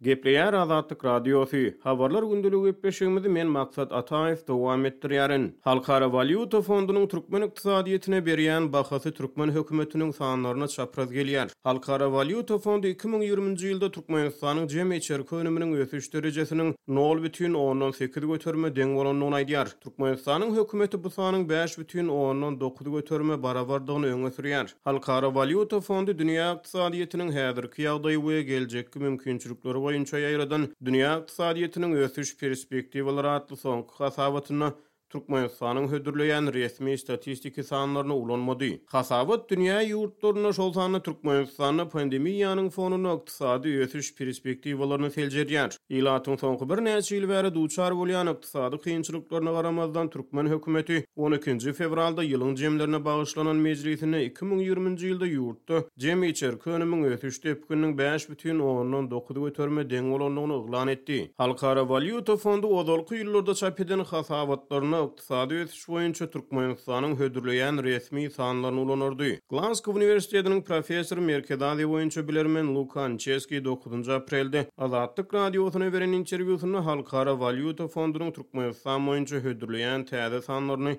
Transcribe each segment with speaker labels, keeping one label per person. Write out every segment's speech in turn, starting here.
Speaker 1: Gepleýär Azatlyk Radiosy, Habarlar gündeligi gepleşigimizi men Maksat Ataýew dowam etdirýärin. Halkara walýuta fondunyň türkmen ykdysadyýetine berýän bahasy türkmen hökümetiniň sanlaryna çapraz gelýär. Halkara walýuta fondy 2020-nji ýylda Türkmenistanyň jemi içerki önüminiň ösüş derejesiniň nol bütin ondan sekiz göterime deň bolandygyny aýdýar. Türkmenistanyň hökümeti bu sanyň 5,9 göterime barabardygyny öňe sürýär. Halkara walýuta fondy dünýä ykdysadyýetiniň häzirki ýagdaýy we geljekki mümkinçilikleri boýunça ýaýradan Dünýä ykdysadyýetiniň ösüş perspektiwalary atly soňky hasabatynda Türkmenistanyň hödürleýän resmi statistiki sanlaryny ulanmady. Hasabat dünýä ýurtlarynda, şol sanda Türkmenistanda pandemiýanyň fonunda ykdysady ösüş perspektiwalaryny seljerýär. Ilatyň soňky birnäçe ýyl bäri duçar bolýan ykdysady kynçylyklaryna garamazdan, türkmen hökümeti on ikinji fewralda ýylyň jemlerine bagyşlanan mejlisinde 2020-nji ýylda ýurtda jemi içerki önümiň ösüş depgininiň 5,9 göterime deň bolandygyny yglan etdi. Halkara walýuta fondy ozalky ýyllarda çap eden hasabatlarynda ykdysady ösüş boýunça Türkmenistanyň hödürleýän resmi sanlaryny ulanardy. Glasgow uniwersitetiniň professory, Merkezi Aziýa boýunça bilermen Luka Ançeski dokuzynjy aprelde Azatlyk Radiosyna beren interwýusynda Halkara walýuta fondunyň Türkmenistan boýunça hödürleýän täze sanlaryny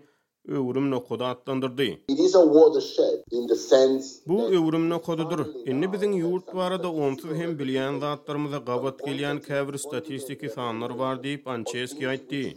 Speaker 1: öwrüm nokady atlandyrdy.
Speaker 2: It is a watershed in the sense
Speaker 1: Bu öwrüm nokadydyr. Indi biziň ýurt barada onsuz hem bilýän zatlarymyza gabat gelýän käbir statistiki sanlar bar diýip, Ançeski aýtdy.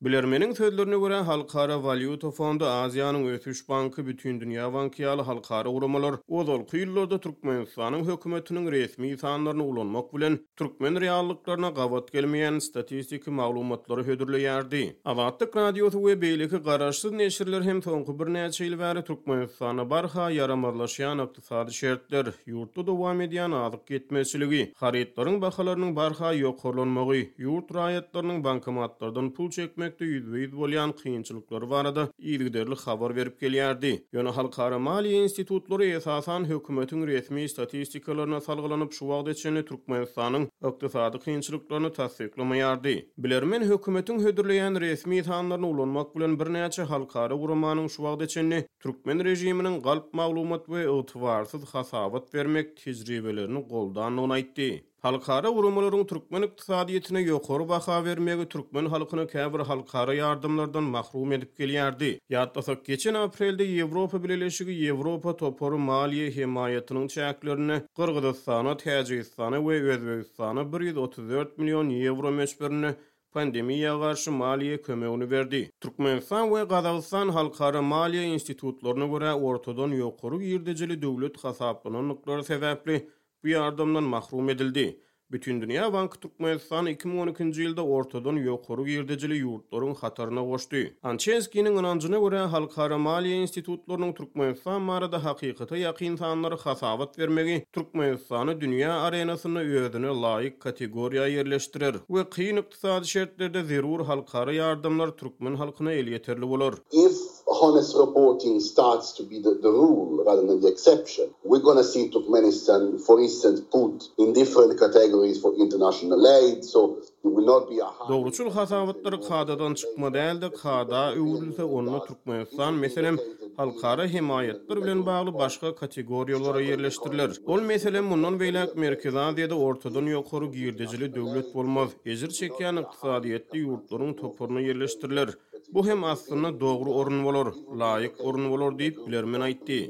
Speaker 1: Bilermeniň sözlerine görä, Halkara walýuta fondy, Aziýanyň ösüş banky, Bütindünýä banky ýaly halkara guramalar ozalky ýyllarda Türkmenistanyň hökümetiniň resmi sanlaryny ulanmak bilen, türkmen reallyklaryna gabat gelmeýän statistiki maglumatlary hödürleýärdi. Azatlyk Radiosy we beýleki garaşsyz neşirler hem soňky birnäçe ýyl bäri Türkmenistanda barha ýaramazlaşýan ykdysady şertler, ýurtda dowam edýän azyk ýetmezçiligi, harytlaryň bahalarynyň barha ýokarlanmagy, ýurt raýatlarynyň bankomatlardan pul çekmekde ýüzbe-ýüz bolýan kynçylyklary barada yzygiderli habar berip gelýärdi. Ýöne halkara maliýe institutlary esasan hökümetiň resmi statistikalaryna salgylanyp şu wagta çenli Türkmenistanyň ykdysady kynçylyklaryny tassyklamaýardy. Bilermen hökümetiň hödürleýän resmi sanlaryny ulanmak bilen birnäçe halkara guramanyň şu wagta çenli türkmen režiminiň galp maglumat we ygtybarsyz hasabat bermek tejribelerini goldandygyny aýtdy. Halkara guramalaryň türkmen ykdysadyýetine ýokary baha bermegi türkmen halkyny käbir halkara ýardamlardan mahrum edip gelýärdi. Ýatlasak, geçen aprelde Ýewropa Bileleşigi Ýewropa Topary maliýe hemaýatynyň çäklerinde Gyrgyzystana, Täjigistana we Özbegistana 134 million ýewro möçberinde pandemiýa garşy maliýe kömegini berdi. Türkmenistan we Gazagystan halkara maliýe institutlaryna görä ortadan ýokary girdejili döwlet hasaplanandyklary sebäpli bu ýardamdan mahrum edildi. Bütindünýä banky Türkmenistany 2012-nji ýylda ortadan ýokary girdejili ýurtlaryň hataryna goşdy. Ançenskiniň ynanjyna görä, halkara maliýe institutlarynyň Türkmenistan barada hakykata ýakyn sanlary hasabat bermegi Türkmenistany dünýä arenasynda özüne laýyk kategoriýa ýerleşdirer we kyn ykdysady şertlerde zerur halkara ýardamlar türkmen halkyna elýeterli bolar.
Speaker 2: If honest reporting starts to be the rule rather than the exception, we're gonna see Turkmenistan, for instance, put in different categories for international aid, so it will not be a high.
Speaker 1: Dogruçyl hasabatlar kadadan çykma däl-de, kada öwrülse, onda Türkmenistan, meselem, halkara hemaýatlar bilen bagly başga kategoriýalara ýerleşdiriler. Ol, meselem, mundan beýläk Merkezi Aziýada ortadan ýokary girdejili döwlet bolmaz, ejir çekýän ykdysadyýetli ýurtlaryň toparyna ýerleşdiriler. Bu hem aslynda dogry orun bolar, laýyk orun bolar diýip, bilermen aýtdy.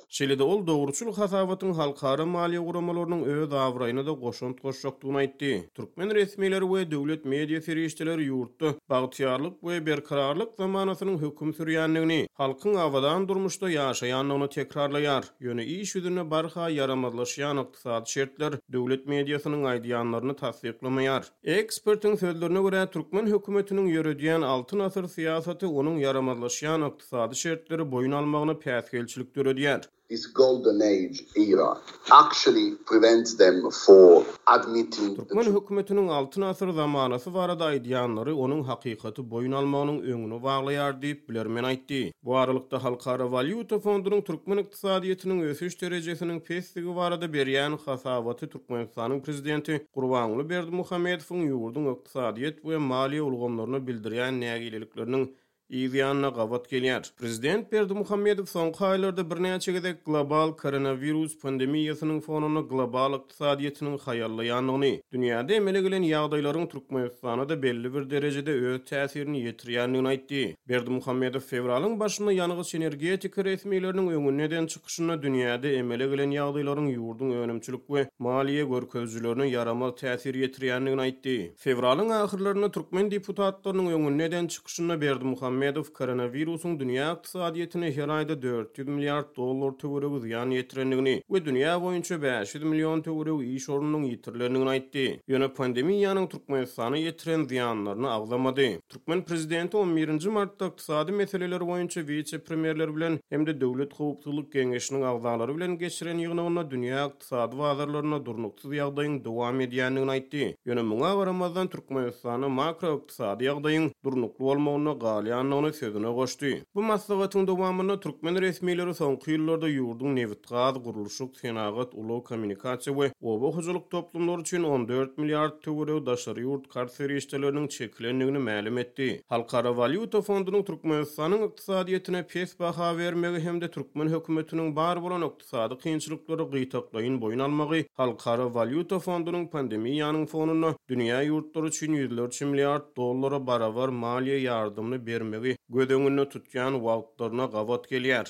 Speaker 1: Şeýle-de ol dogruçyl hasabatyň halkara maliýe guramalarynyň öz abraýyna-da goşant goşjakdygyny aýtdy. Türkmen resmileri we döwlet media serişdeleri ýurtda bagtyýarlyk we berkararlyk zamanasynyň höküm sürýändigini, halkyň abadan durmuşda ýaşaýandygyny tekrarlaýar. Ýöne iş ýüzünde barha ýaramazlaşýan ykdysady şertler döwlet mediasynyň aýdýanlaryny tassyklamaýar. Ekspertiň sözlerine görä, türkmen hökümetiniň ýöredýän Altyn asyr syýasaty onuň ýaramazlaşýan ykdysady şertleri boýun almagyna päsgelçilik döredýär.
Speaker 2: This golden age era actually prevents them for admitting the
Speaker 1: Türkmen hökümetiniň Altyn asyr zamanasy barada aýdýanlary onuň hakykaty boýun almagynyň öňüni baglaýar diýip, bilermen aýtdy. Bu aralykda, Halkara walýuta fondunyň türkmen ykdysadyýetiniň ösüş derejesiniň pesdigi barada berýän hasabaty Türkmenistanyň prezidenti Gurbanguly Berdimuhamedowyň ýurduň ykdysadyýet we maliýe ulgamlaryna bildirýän nägilelikleriniň. yz ýanyna gabat gelýär. Prezident Berdimuhamedow soňky aýlarda birnäçe gezek global koronawirus pandemiýasynyň fonunda global ykdysadyýetiniň haýallaýandygyny, dünýäde emele gelen ýagdaýlaryň Türkmenistana-da belli bir derejede öz täsirini ýetirýändigini aýtdy. Berdimuhamedow fewralyň başynda ýangyç-energetika resmileriniň öňünde eden çykyşynda dünýäde emele gelen ýagdaýlaryň ýurduň önümçilik we maliýe görkezijilerine ýaramaz täsir ýetirýändigini aýtdy. Fewralyň ahyrlarynda türkmen deputatlarynyň öňünde eden çykyşynda Berdimuhamedow koronawirusyň dünýä ykdysadyýetine her aýda 400 milliard dollar töweregi zyýan ýetirendigini we dünýä boýunça 500 million töweregi iş ornunyň ýitirilendigini aýtdy. Ýöne pandemiýanyň Türkmenistana ýetiren zyýanlaryny agzamady. Türkmen prezidenti on birinji martda ykdysady meseleler boýunça wise-premýerler bilen hem-de Döwlet howpsuzlyk geňeşiniň agzalary bilen geçiren ýygnagynda dünýä ykdysady bazarlarynda durnuksyz ýagdaýyň dowam edýändigini aýtdy. Ýöne muňa garamazdan Türkmenistanda makroykdysady ýagdaýyň durnukly bolmagynda galýandygyny sözüne goşdy. Bu maslahatyň dowamynda türkmen resmileri soňky ýyllarda ýurduň nebitgaz, gurluşyk, senagat, ulag-kommunikasiýa we oba hojalyk toplumlary üçin 14 milliard töweregi daşary ýurt karz serişdeleriniň çekilendigini mälim etdi. Halkara walýuta fondunyň Türkmenistanyň ykdysadyýetine pes baha bermegi hem-de türkmen hökümetiniň bar bolan ykdysady kynçylyklary gytaklaýyn boýun almagy Halkara walýuta fondunyň pandemiýanyň fonunda dünýä ýurtlary üçin ýüzlerçe milliard dollara barabar maliýe ýardamyny bermegi göz öňünde tutýan wagtlaryna gabat gelýär.